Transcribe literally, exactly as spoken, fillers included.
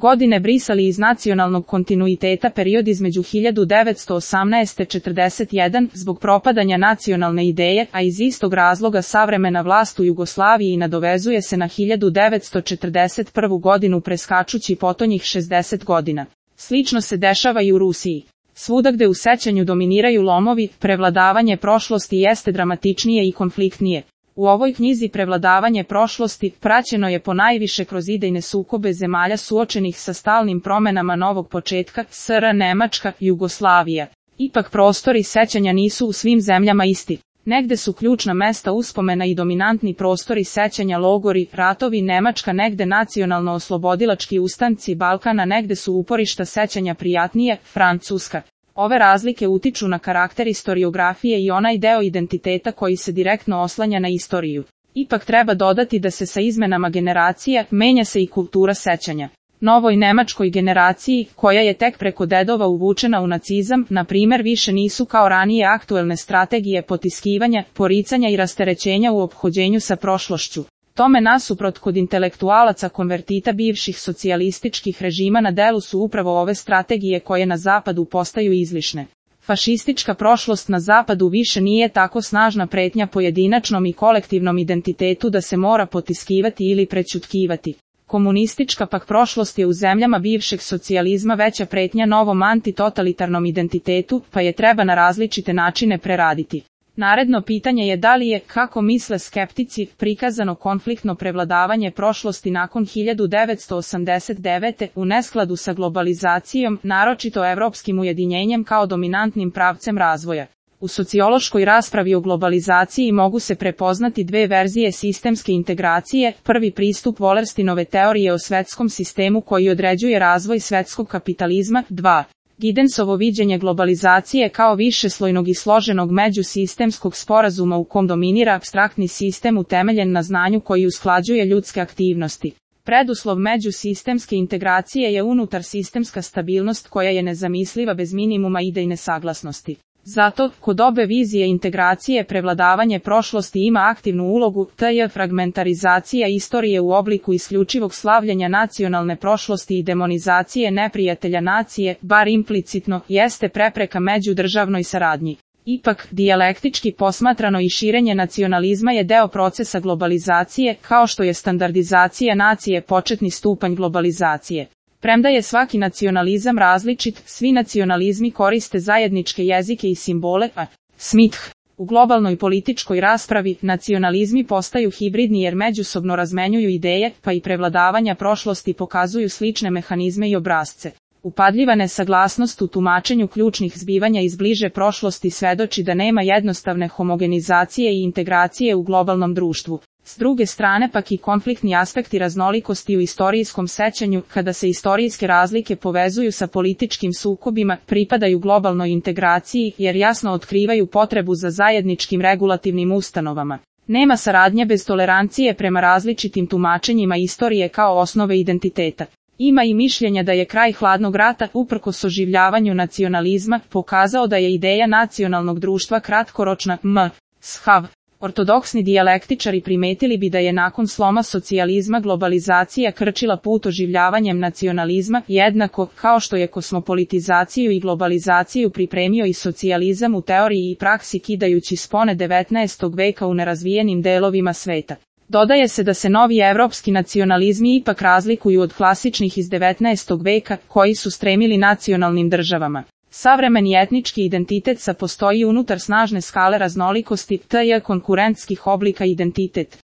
godine brisali iz nacionalnog kontinuiteta period između hiljadu devetsto osamnaeste do četrdeset jedan zbog propadanja nacionalne ideje, a iz istog razloga savremena vlast u Jugoslaviji nadovezuje se na hiljadu devetsto četrdeset prvu godinu preskačući potonjih šezdeset godina. Slično se dešava i u Rusiji. Svuda gde u sećanju dominiraju lomovi, prevladavanje prošlosti jeste dramatičnije i konfliktnije. U ovoj knjizi prevladavanje prošlosti praćeno je ponajviše kroz idejne sukobe zemalja suočenih sa stalnim promenama novog početka, S R Nemačka, Jugoslavija. Ipak prostori sećanja nisu u svim zemljama isti. Negde su ključna mesta uspomena i dominantni prostori sećanja logori, ratovi, Nemačka, negde nacionalno-oslobodilački ustanci Balkana, negde su uporišta sećanja prijatnije, Francuska. Ove razlike utiču na karakter istoriografije i onaj deo identiteta koji se direktno oslanja na istoriju. Ipak treba dodati da se sa izmenama generacija menja se i kultura sećanja. Novoj nemačkoj generaciji, koja je tek preko dedova uvučena u nacizam, na primer više nisu kao ranije aktuelne strategije potiskivanja, poricanja i rasterećenja u ophođenju sa prošlošću. Tome nasuprot kod intelektualaca konvertita bivših socijalističkih režima na delu su upravo ove strategije koje na zapadu postaju izlišne. Fašistička prošlost na zapadu više nije tako snažna pretnja pojedinačnom i kolektivnom identitetu da se mora potiskivati ili prećutkivati. Komunistička pak prošlost je u zemljama bivšeg socijalizma veća pretnja novom antitotalitarnom identitetu, pa je treba na različite načine preraditi. Naredno pitanje je da li je, kako misle skeptici, prikazano konfliktno prevladavanje prošlosti nakon hiljadu devetsto osamdeset devete u neskladu sa globalizacijom, naročito evropskim ujedinjenjem kao dominantnim pravcem razvoja. U sociološkoj raspravi o globalizaciji mogu se prepoznati dve verzije sistemske integracije, prvi pristup Wallersteinove teorije o svetskom sistemu koji određuje razvoj svetskog kapitalizma, dva. Gidensovo viđenje globalizacije kao višeslojnog i složenog međusistemskog sporazuma u kom dominira apstraktni sistem utemeljen na znanju koji usklađuje ljudske aktivnosti. Preduslov međusistemske integracije je unutar sistemska stabilnost koja je nezamisliva bez minimuma idejne saglasnosti. Zato, kod obe vizije integracije prevladavanje prošlosti ima aktivnu ulogu, tj. fragmentarizacija istorije u obliku isključivog slavljenja nacionalne prošlosti i demonizacije neprijatelja nacije, bar implicitno, jeste prepreka međudržavnoj saradnji. Ipak, dijalektički posmatrano i širenje nacionalizma je deo procesa globalizacije, kao što je standardizacija nacije početni stupanj globalizacije. Premda je svaki nacionalizam različit, svi nacionalizmi koriste zajedničke jezike i simbole, a Smith. U globalnoj političkoj raspravi, nacionalizmi postaju hibridni jer međusobno razmenjuju ideje, pa i prevladavanja prošlosti pokazuju slične mehanizme i obrasce. Upadljiva nesaglasnost u tumačenju ključnih zbivanja iz bliže prošlosti svedoči da nema jednostavne homogenizacije i integracije u globalnom društvu. S druge strane pak i konfliktni aspekti raznolikosti u istorijskom sećanju, kada se istorijske razlike povezuju sa političkim sukobima, pripadaju globalnoj integraciji jer jasno otkrivaju potrebu za zajedničkim regulativnim ustanovama. Nema saradnje bez tolerancije prema različitim tumačenjima istorije kao osnove identiteta. Ima i mišljenja da je kraj hladnog rata, uprkos oživljavanju nacionalizma, pokazao da je ideja nacionalnog društva kratkoročna, m. Shav. Ortodoksni dijalektičari primetili bi da je nakon sloma socijalizma globalizacija krčila put oživljavanjem nacionalizma, jednako kao što je kosmopolitizaciju i globalizaciju pripremio i socijalizam u teoriji i praksi kidajući spone devetnaestog veka u nerazvijenim delovima sveta. Dodaje se da se novi evropski nacionalizmi ipak razlikuju od klasičnih iz devetnaestog veka, koji su stremili nacionalnim državama. Savremeni etnički identitet sa postoji unutar snažne skale raznolikosti, tj. konkurentskih oblika identitet.